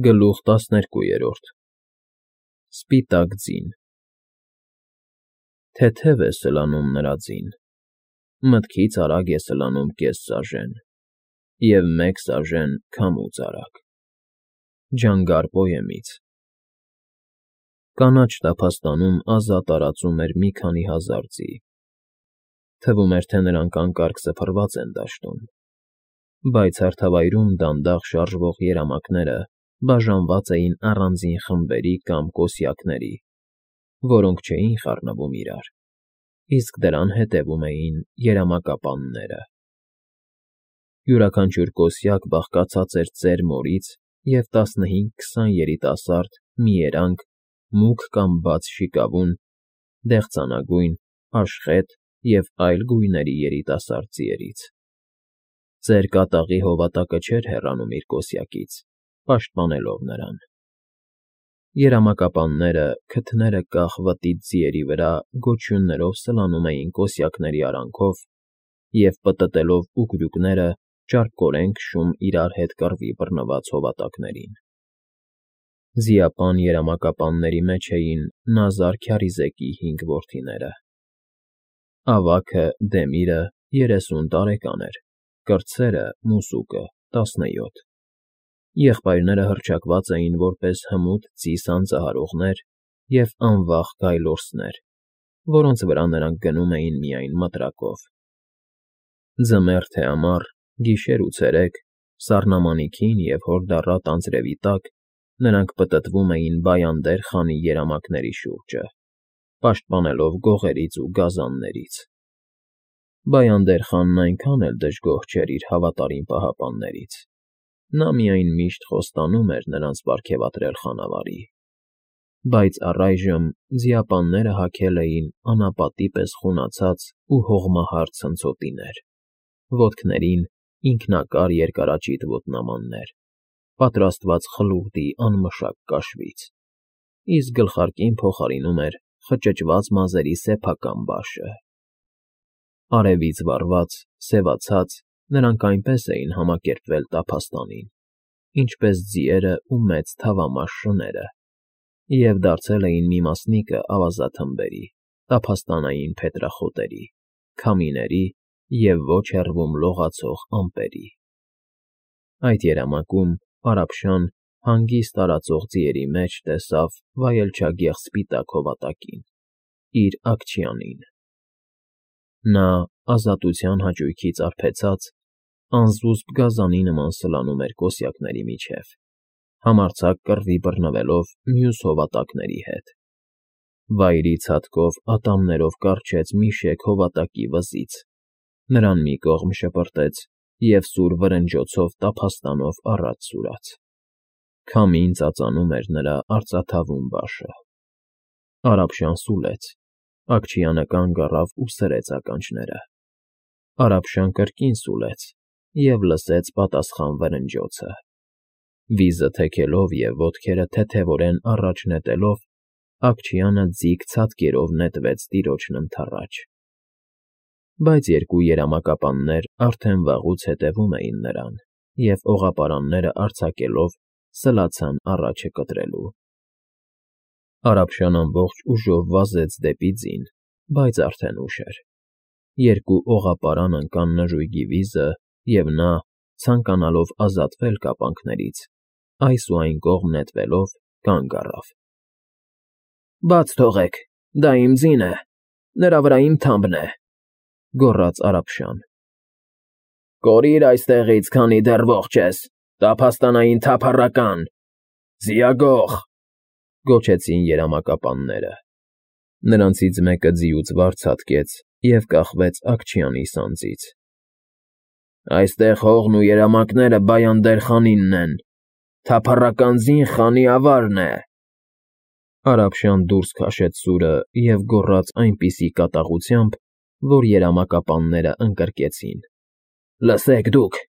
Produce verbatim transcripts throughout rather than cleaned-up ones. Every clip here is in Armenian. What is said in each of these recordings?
Գլուխ տասներկուերորդ Սպիտակ ձին Թեթև է սլանում նրա ձին, մտքից արագ է սլանում կես սաժեն, և մեկ սաժեն քամուց արագ, ջանգար պոեմից։ Կանաչ տափաստանում ազատ տարածում էր մի քանի հազար ձի, թվում էր, թե նրանք անկարգ սփռված են դաշտում, բայց հարթավայրում դանդաղ շարժվող երամակները բաժանված էին առանձին խմբերի կամ կոսյակների, որոնք չէին խառնվում իրար, իսկ դրան հետևում էին երամակապանները։ Յուրաքանչյուր կոսյակ բաղկացած էր ծեր մորից և տասնհինգ֊քսան երիտասարդ մի երանգ, մուգ կամ բաց շիկավուն, դեղցանագույն, աշխետ և այլ գույների երիտասարդ ձիերից։ Ծեր կատաղի հովատակը չէր հեռանում իր կոսյակից, պաշտպանելով նրան։ Երամակապանները, քթները կախ վտիտ ձիերի վրա գոչյուններով սլանում էին կոսյակների արանքով և, պտտելով ուկրուկները, ճարպկորեն քշում իրար հետ կռվի բռնված հովատակներին։ Ձիապան երամակապանների մեջ էին Նազար քյարիզեկի հինգ որդիները։ Ավագը՝ Դեմիրը, երեսուն տարեկան էր, կրտսերը՝ Մուսուկը, տասնյոթ։ Եղբայրները հռչակված էին որպես հմուտ ձի սանձահարողներ և անվախ գայլորսներ, որոնց վրա նրանք գնում էին միայն մտրակով։ Ձմեռ թե ամառ, գիշեր ու ցերեկ, սառնամանիքին և հորդառատ անձրևի տակ նրանք պտտվում էին Բայանդեր խանի երամակների շուրջը, պաշտպանելով գողերից ու գազաններից։ Բայանդեր խանն այնքան էլ դժգոհ չէր իր հավատարիմ պահապաններից, նա միայն միշտ խոստանում էր նրանց պարգևատրել խանավարի։ Բայց առայժմ ձիապանները հագել էին անապատի պես խունացած ու հողմահար ցնցոտիներ, ոտքներին՝ ինքնակար երկարաճիտ ոտնամաններ, պատրաստված խլուղդի անմշակ կաշվից, իսկ գլխարկին փոխարինում էր խճճված մազերի սեփական բաշը։ Արևից վառված, սևացած, նրանք այնպես էին համակերպվել տափաստանին, ինչպես ձիերը ու մեծ թավամաշ շները, և դարձել էին մի մասնիկը ավազաթմբերի, տափաստանային փետրախոտերի, քամիների և ոչ հեռվում լողացող ամպերի։ Այդ երամակում Արաբշան հանգիստ տարածող ձիերի մեջ տեսավ վայելչագեղ սպիտակ հովատակին՝ իր Աքչյանին։ Նա, ազատության հաճույքից արբեցած, անզուսպ գազանի նման սլանում էր կոսյակների միջև, համարձակ կռվի բռնվելով մյուս հովատակների հետ։ Վայրի ցատկով ատամներով կառչեց մի շեք հովատակի վզից, նրան մի կողմ շպրտեց և սուր վրնջոցով տափաստանով առաջ սուրաց։ Քամին ծածանում էր նրա արծաթավուն բաշը։ Արաբշան սուլեց, Աքչյանը կանգ առավ ու սրեց ականջները։ Արաբշան կրկին սուլեց և լսեց պատասխան վրնջոցը։ Վիզը թեքելով և ոտքերը թեթևորեն առաջ նետելով, Աքչյանը ձիգ ցատկերով նետվեց տիրոջն ընդառաջ։ Բայց երկու երամակապաններ արդեն վաղուց հետևում էին նրան և, օղապարանները արձակելով, սլացան առաջը կտրելու։ Արաբշան ամբողջ ուժով վազեց դեպի ձին, բայց արդեն ուշ էր։ Երկու օղապարան ընկան նժույգի վիզը, և նա, ցանկանալով ազատվել կապանքներից, այս ու այն կողմ նետվելով, կանգ առավ։ ֊ Բաց թողեք, դա իմ ձին է, նրա վրա իմ թամբն է,֊ գոռաց Արաբշան։ ֊ Կորիր այստեղից, քանի դեռ ողջ ես, տափաստանային թափառական, ձիագող,֊ գոչեցին երամակապանները։ Նրանցից մեկը ձիուց վար ցատկեց և կախվեց Աքչյանի սանձից։ ֊ Այստեղ հողն ու երամակները Բայանդեր խանինն են, թափառական ձին խանի ավարն է,֊ Արաբշան դուրս քաշեց սուրը և գոռաց այնպիսի կատաղությամբ, որ երամակապանները ընկրկեցին։ ֊ Լսեք դուք,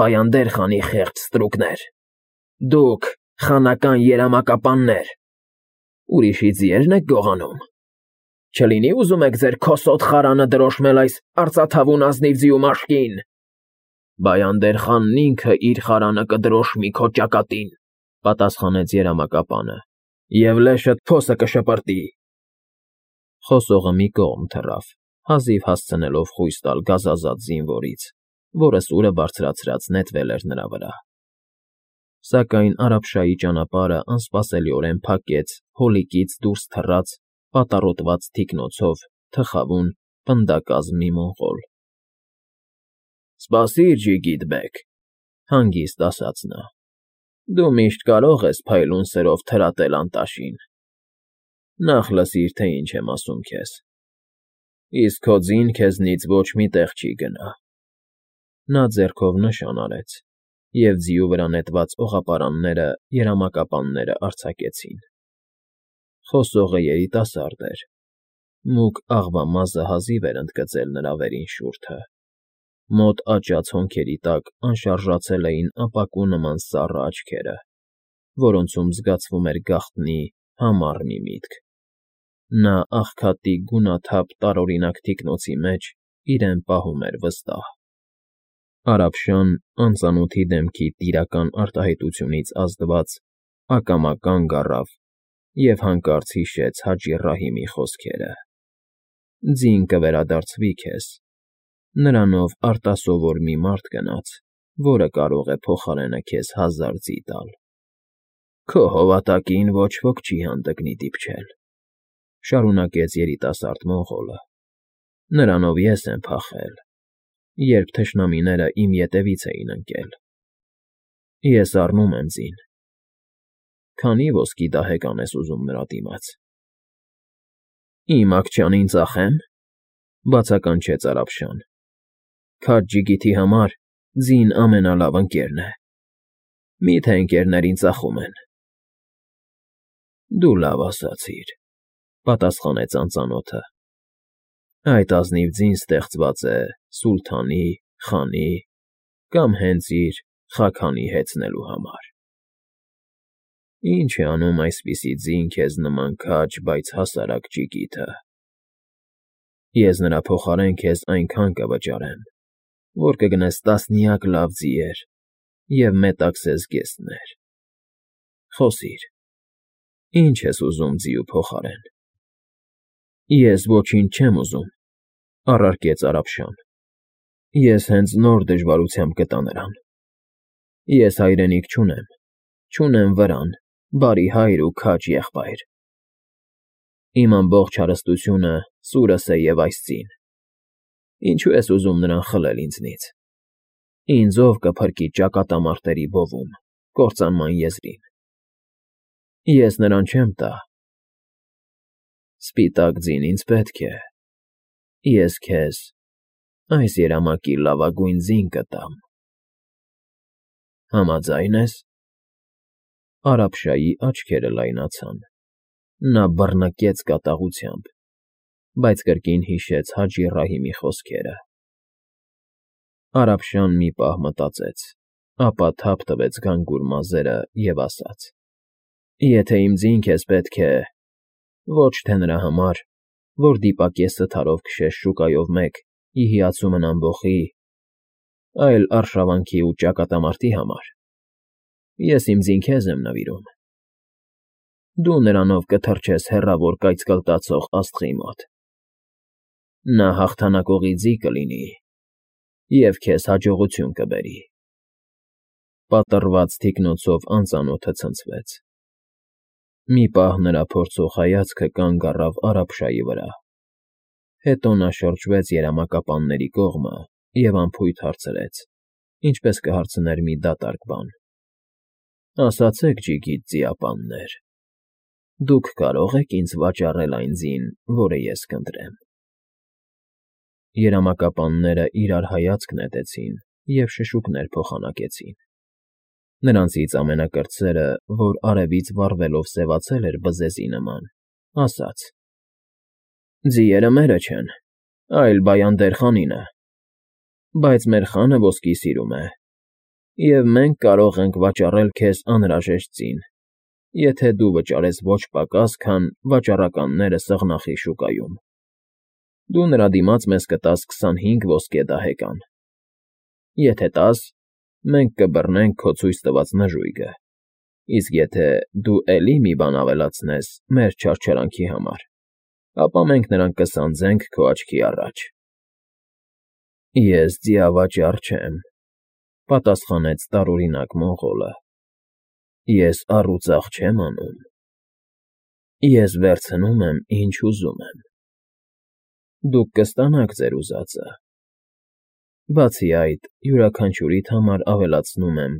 Բայանդեր խանի խեղճ ստրուկներ, դուք, խանական երամակապաններ, ուրիշի ձիե՞րն եք գողանում։ Չլինի՞ ուզում եք ձեր քոսոտ խարանը դրոշմել այս արծաթավուն ազնիվ ձիու մաշկին։ Բայանդեր խանն ինքը իր խարանը կդրոշմի քո ճակատին։ պատասխանեց երամակապանը, և լեշդ փոսը կշպրտի։ Խոսողը մի կողմ թռավ, հազիվ հասցնելով խույս տալ գազազած զինվորից, որը սուրը բարձրացրած նետվել էր նրա վրա։ Սակայն Արաբշայի ճանապարհը անսպասելիորեն փակեց հոլիկից դուրս թռած, պատառոտված թիկնոցով թխավուն, պնդակազմ մի մոնղոլ։ ֊ Սպասիր, ջիգիտ բեգ,֊ հանգիստ ասաց նա,֊ դու միշտ կարող ես փայլուն սրով թրատել անտաշին։ Նախ լսիր, թե ինչ եմ ասում քեզ, իսկ քո ձին քեզնից ոչ մի տեղ չի գնա։ Նա ձեռքով նշան արեց, և ձիու վրա նետված օղապարանները երամակապանները արձակեցին։ Խոսողը երիտասարդ էր, մուգ աղվամազը հազիվ էր ընդգծել նրա վերին շուրթը, մոտ աճած հոնքերի տակ անշարժացել էին ապակու նման սառը աչքերը, որոնցում զգացվում էր գաղտնի, համառ մի միտք։ Նա աղքատի գունաթափ տարօրինակ թիկնոցի մեջ իրեն պահում էր վստահ։ Արաբշան անծանոթի դեմքի տիրական արտահայտությունից ազդված ակամա կանգ առավ և հանկարծ հիշեց Հաջի Ռահիմի խոսքերը. «Ձին կվերադարձվի քեզ, նրանով արտասովոր մի մարդ գնաց, որը կարող է փոխարենը քեզ հազար ձի տալ։ Քո հովատակին ոչ ոք չի հանդգնի դիպչել,֊ շարունակեց երիտասարդ մոնղոլը,֊ նրանով ես եմ փախել, երբ թշնամիները իմ ետևից էին ընկել։ Ես առնում եմ ձին. քանի՞ ոսկի դահեկան ես ուզում նրա դիմաց։ ֊ Իմ աքչանին ծախե՞մ,֊ բացականչեց Արաբշան։ Քաջ ջիգիթի համար ձին ամենալավ ընկերն է։ Մի՞թե ընկերներին ծախում են։ ֊ Դու լավ ասացիր,֊ պատասխանեց անծանոթը։ Այդ ազնիվ ձին ստեղծված է սուլթանի, խանի կամ հենց իր՝ խաքանի հեծնելու համար։ Ի՞նչ է անում այսպիսի ձին քեզ նման քաջ, բայց հասարակ ջիգիթը։ Ես նրա փոխարեն քեզ այնքան կվճարեմ, որ կգնես տասնյակ լավ ձիեր և մետաքսես զգեստներ։ Խոսիր, ի՞նչ ես ուզում ձիու փոխարեն։ ֊ Ես ոչինչ չեմ ուզում,֊ առարկեց Արաբշան։ Ես հենց նոր դժվարությամբ գտա նրան։ Ես հայրենիք չունեմ, չունեմ վրան, բարի հայր ու քաջ եղբայր։ Իմ ամբողջ հարստությունը սուրս է և այս ձին։ Ինչո՞ւ ես ուզում նրան խլել ինձնից։ Ինձ ո՞վ կփրկի ճակատամարտերի բովում, կործանման եզրին։ Ես նրան չեմ տա։ Սպիտակ ձին ինձ պետք է։ Ես քեզ այս երամակի լավագույն ձին կտամ։ Համաձա՞յն ես։ Արաբշայի աչքերը լայնացան, նա բռնկեց կատաղությամբ, բայց կրկին հիշեց Հաջի Ռահիմի խոսքերը։ Արաբշան մի պահ մտածեց, ապա թափ տվեց գանգուր մազերը և ասաց. Եթե իմ ձին քեզ պետք է, ոչ թե նրա համար, որ դիպակես սթարով քշես շուկայով մեկ ի հիացումն ամբոխի, այլ արշավանքի ու ճակատամարտի համար, ես իմ ձին քեզ եմ նվիրում։ Դու նրանով կթռչես հեռավոր կայծկլտացող աստղի մոտ։ Նա հաղթանակողի ձի կլինի և քեզ հաջողություն կբերի։ Պատռված թիկնոցով անծանոթը ցնցվեց։ Մի պահ նրա փորձող հայացքը կանգ առավ Արաբշայի վրա, հետո նա շրջվեց երամակապանների կողմը և անփույթ հարցրեց, ինչպես կհարցներ մի դատարկ բան. Ասացեք, ջիգիտ ձիապաններ, դուք կարո՞ղ եք ինձ վաճառել այն ձին, որը ես կընտրեմ։ Երամակապանները իրար հայացք նետեցին և շշուկներ փոխանակեցին։ Նրանցից ամենակրտսերը, որ արևից վառվելով սևացել էր բզեզի նման, ասաց. Ձիերը մերը չեն, այլ Բայանդեր խանինը, բայց մեր խանը ոսկի սիրում է, և մենք կարող ենք վաճառել քեզ անհրաժեշտ ձին, եթե դու վճարես ոչ պակաս, քան վաճառականները սաղնախի շուկայում։ Դու նրա դիմաց մեզ կտաս քսանհինգ ոսկե դահեկան։ Եթե տաս, մենք կբռնենք քո ցույց տված նժույգը։ Իսկ եթե դու էլի մի բան ավելացնես մեր չարչարանքի համար, ապա մենք նրան կսանձենք քո աչքի առաջ։ ֊ Ես ձիավաճառ չեմ,֊ պատասխանեց տարօրինակ մոնղոլը։֊ Ես առուծաղ չեմ անում։ Ես վերցնում եմ, ինչ ուզում եմ։ Դուք կստանաք ձեր ուզածը։ Բացի այդ, յուրաքանչյուրիդ համար ավելացնում եմ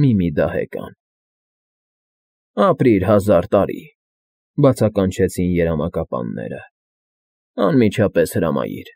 մի֊մի դահեկան։ ֊ Ապրիր հազար տարի,֊ բացականչեցին երամակապանները։֊ Անմիջապես հրամայիր։